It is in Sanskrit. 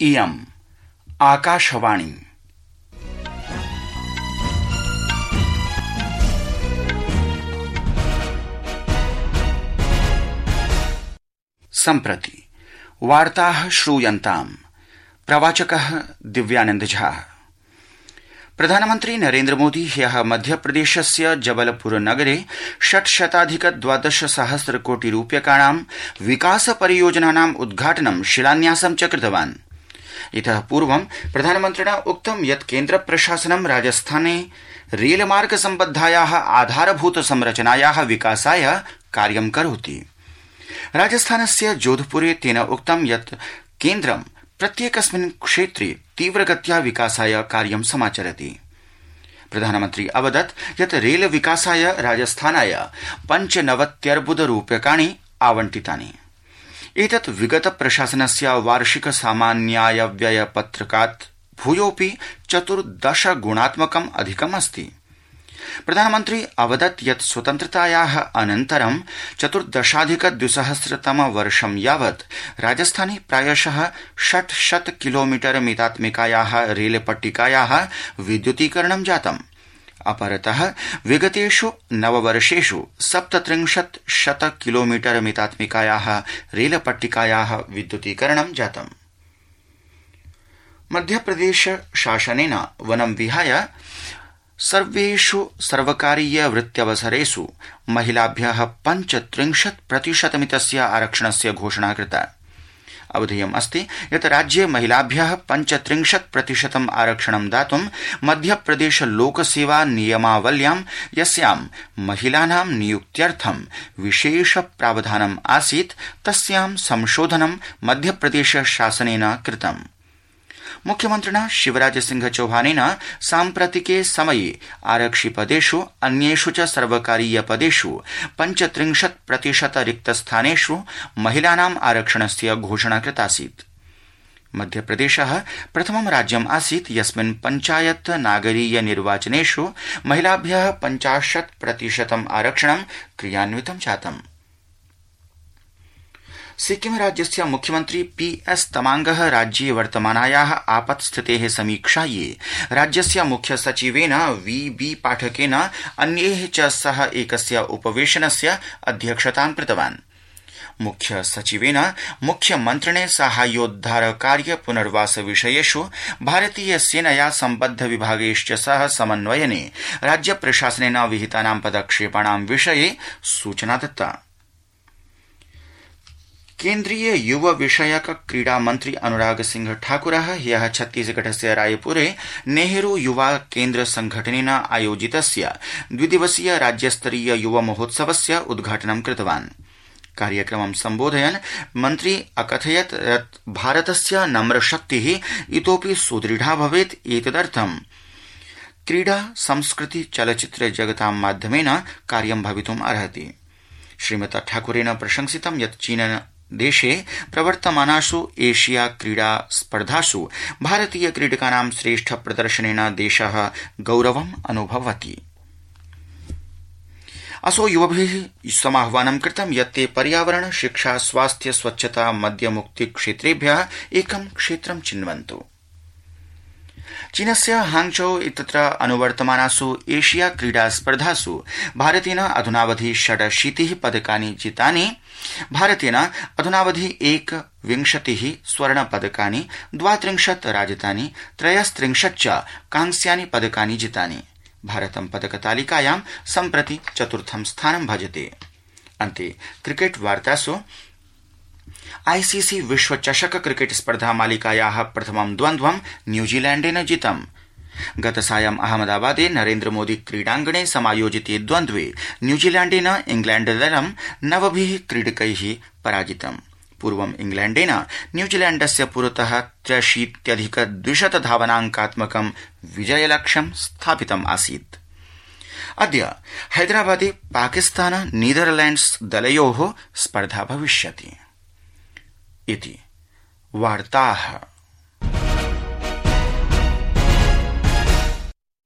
इयम् आकाशवाणी। सम्प्रति वार्ताः श्रूयन्ताम्। प्रवाचकः दिव्यानंद झा। प्रधानमन्त्री नरेन्द्र मोदी ह्यः मध्यप्रदेशस्य जबलपुर नगरे 612 कोटि रूप्यकाणां विकास परियोजनानाम् उद्घाटनं शिलान्यासं च कृतवान्। इतः पूर्वं प्रधानमन्त्रिणा उक्तं यत् केन्द्र प्रशासनं राजस्थाने रेलमार्ग सम्बद्धायाः आधारभूत संरचनायाः विकासाय कार्यं करोति। राजस्थानस्य जोधपुरे तेन उक्तं यत् केन्द्रं प्रत्येकस्मिन् क्षेत्रे तीव्रगत्या विकासाय कार्यं समाचरति। प्रधानमन्त्री अवदत् यत् रेल विकासाय राजस्थानाय 95 रूप्यकाणि आवंटितानि। एतत् विगत प्रशासनस्य वार्षिक सामान्याय व्यय पत्रकात् भूयोऽपि 14 गुणात्मकम् अधिकम् अस्ति। प्रधानमन्त्री अवदत् यत् स्वतन्त्रतायाः अनन्तरं 14,200 वर्षं यावत् राजस्थाने प्रायशः 600 किलोमीटर मितात्मिकायाः रेलपट्टिकायाः विद्युतीकरणं जातम्। अपरतः विगतेषु 9 वर्षेषु 37 किलोमीटर मितात्मिकायाः रेलपट्टिकायाः विद्युतीकरणं जातम्। मध्यप्रदेश शासनेन वनं विहाय सर्वेषु सर्वकारीय वृत्त्यवसरेषु महिलाभ्यः 35% आरक्षणस्य घोषणा कृता। अवधेयम् अस्ति यत् राज्ये महिलाभ्यः 35% आरक्षणं दातुं मध्यप्रदेश लोकसेवा नियमावल्यां यस्यां महिलानां नियुक्त्यर्थं विशेष प्रावधानम् आसीत् तस्यां संशोधनं मध्यप्रदेश शासनेन कृतम्। मुख्यमन्त्रिणा शिवराज सिंह चौहानेन साम्प्रतिके समये आरक्षिपदेषु अन्येषु च सर्वकारीय पदेषु 35% रिक्तस्थानेषु महिलानाम् आरक्षणस्य घोषणा कृतासीत्। मध्यप्रदेशः प्रथमं राज्यम् आसीत् यस्मिन् पञ्चायत नागरीय निर्वाचनेषु महिलाभ्यः 50% आरक्षणं क्रियान्वितं जातम्। सिक्किम राज्यस्य मुख्यमन्त्री PS तमांगः राज्ये वर्तमानायाः आपत्स्थितेः समीक्षायै राज्यस्य मुख्य सचिवेन VB पाठकेन अन्यैः च सह एकस्य उपवेशनस्य अध्यक्षतां कृतवान्। मुख्य सचिवेन मुख्यमन्त्रिणे साहाय्योद्धार कार्य पुनर्वास विषयेषु भारतीय सेनया सम्बद्ध विभागैश्च सह समन्वयने राज्य प्रशासनेन विहितानां पदक्षेपाणां विषये सूचना दत्ता। केन्द्रीय युव विषयक क्रीडा मन्त्री अनुराग सिंह ठाकुरः ह्यः छत्तीसगढस्य रायपुरे नेहरू युवा केन्द्र संघटनेन आयोजितस्य 2 दिवसीय राज्यस्तरीय युव महोत्सवस्य उद्घाटनं कृतवान्। कार्यक्रमं सम्बोधयन् मन्त्री अकथयत् यत् भारतस्य नम्रशक्तिः इतोपि सुदृढा भवेत्। एतदर्थं क्रीडा संस्कृति चलच्चित्र जगतां माध्यमेन कार्यं भवितुम् अर्हति। श्रीमता ठाकुरेण प्रशंसितं यत् चीन देशे प्रवर्तमानासु एशिया क्रीडा स्पर्धासु भारतीय क्रीडकानां श्रेष्ठ प्रदर्शनेन देशः गौरवम् अनुभवति। असौ युवभिः समाह्वानं कृतं यत् ते पर्यावरण शिक्षा स्वास्थ्य स्वच्छता मद्यमुक्ति क्षेत्रेभ्यः एकं क्षेत्रं चिन्वन्तु। चीनस्य हांगझौ इत्यत्र अनुवर्तमानासु एशिया क्रीडा स्पर्धासु भारतेन अधुनावधि 86 पदकानि जितानि। भारतेन अधुनावधि 21 स्वर्णपदकानि 32 राजतानि 33 च कांस्यानि पदकानि जितानि। भारतं पदकतालिकायां सम्प्रति 4थं स्थानं भजते। अन्ते क्रिकेट वार्तासु ICC विश्व चषक क्रिकेट स्पर्धा मालिकायाः प्रथमं द्वन्द्वं न्यूजीलैण्डेन जितम्। गतसायं अहमदाबादे नरेन्द्र मोदी क्रीडाङ्गणे समायोजिते द्वन्द्वे न्यूजीलैण्डेन इंग्लैण्डदलं 9 क्रीडकैः पराजितम्। पूर्वम् इंग्लैण्डेन न्यूजीलैण्डस्य पुरतः 83,200 धावनाङ्कात्मकं विजयलक्ष्यं स्थापितम् आसीत्। अद्य हैदराबादे पाकिस्तान नीदरलैण्ड्स् दलयोः स्पर्धा भविष्यति। इति वार्ताः।